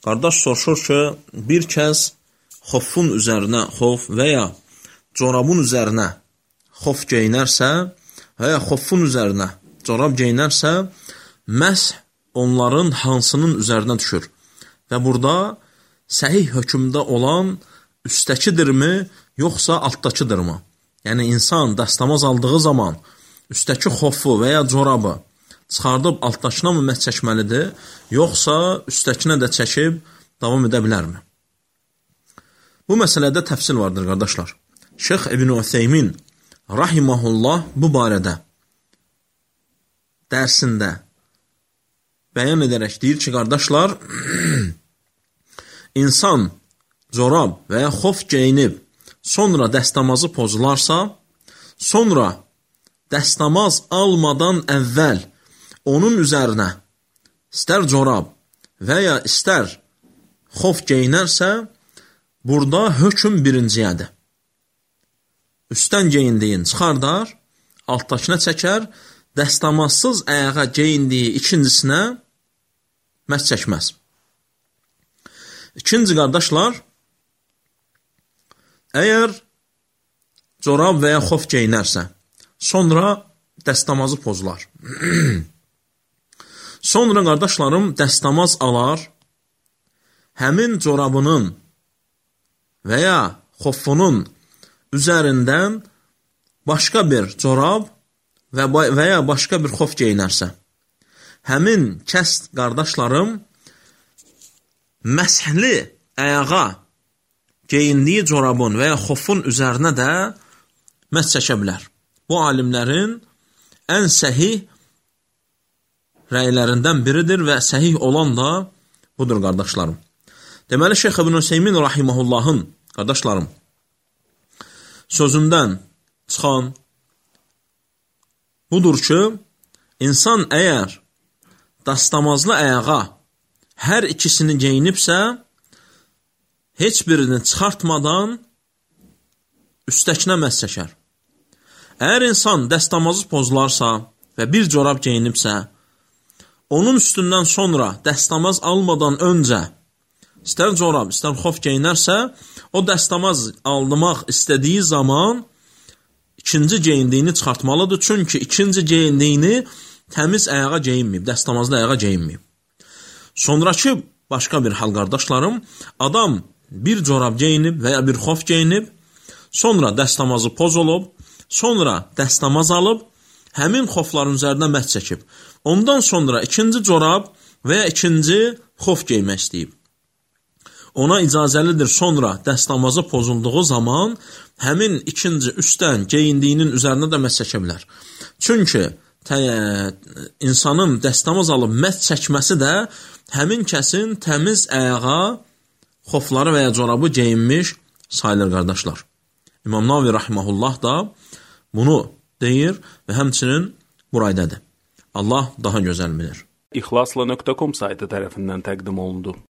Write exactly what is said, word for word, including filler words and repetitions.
qardaş soruşur ki, bir kəs xofun üzərinə xof və ya corabın üzərinə xof geyinərsə və ya xofun üzərinə corab geyinərsə, məsh onların hansının üzərinə düşür? Və burada səhih hökmdə olan üstəkidirmi, yoxsa altdakıdırmı? Yəni, insan dəstəmaz aldığı zaman üstəki xofu və ya corabı çıxardıb altdakına mı məs çəkməlidir, yoxsa üstəkinə də çəkib davam edə bilərmi? Bu məsələdə təfsil vardır, qardaşlar. Şeyx İbn Ütheymin rahiməhullah bu barədə dərsində bəyan edərək deyir ki, qardaşlar, insan corab və ya xof geyinib, sonra dəstəmazı pozularsa, sonra dəstəmaz almadan əvvəl onun üzərinə istər corab və ya istər xof geyinərsə, burada hökm birinciyədir. Üstdən geyindiyin çıxardar, altdakına çəkər, dəstəmazsız ayağa geyindiyi ikincisinə məs çəkməz. İkinci qardaşlar, əgər corab və ya xof geyinərsə, sonra dəstəmazı pozular. Sonra qardaşlarım dəstəmaz alar, həmin corabının və ya xofunun üzərindən başqa bir corab və, və ya başqa bir xof geyinərsə, həmin kəs qardaşlarım məshli ayağa geyindiyi corabın və ya xofun üzərinə də məs çəkə bilər. Bu alimlərin ən səhih rəylərindən biridir və səhih olan da budur, qardaşlarım. Deməli, Şeyx İbn Ütheymin rahiməhullahın, qardaşlarım, sözündən çıxan budur ki, insan əgər dastamazlı ayağa hər ikisini geyinibsə, heç birini çıxartmadan üstəkinə məs çəkər. Əgər insan dəstəmazı pozularsa və bir corab geyinibsə, onun üstündən sonra dəstəmaz almadan öncə istər corab, istər xof geyinərsə, o dəstəmaz aldırmaq istədiyi zaman ikinci geyindiyini çıxartmalıdır. Çünki ikinci geyindiyini təmiz ayağa geyinməyib, dəstəmazlı ayağa geyinməyib. Sonraki başqa bir hal, qardaşlarım, adam bir corab geyinib və ya bir xof geyinib, sonra dəstəmazı pozulub, sonra dəstəmaz alıb, həmin xofların üzərinə məs çəkib. Ondan sonra ikinci corab və ya ikinci xof geymək istəyib. Ona icazəlidir sonra dəstəmazı pozulduğu zaman həmin ikinci üstdən geyindiyinin üzərinə də məs çəkə bilər. Çünki insanın dəstəmaz alıb məs çəkməsi də həmin kəsin təmiz ayağa xofları və ya corabı geyinmiş sayılır, qardaşlar. İmam Navi rahiməhullah da bunu deyir və həmçinin buraydadır. Allah daha gözəl bilir. İxlasla nöqtə com saytı tərəfindən təqdim olundu.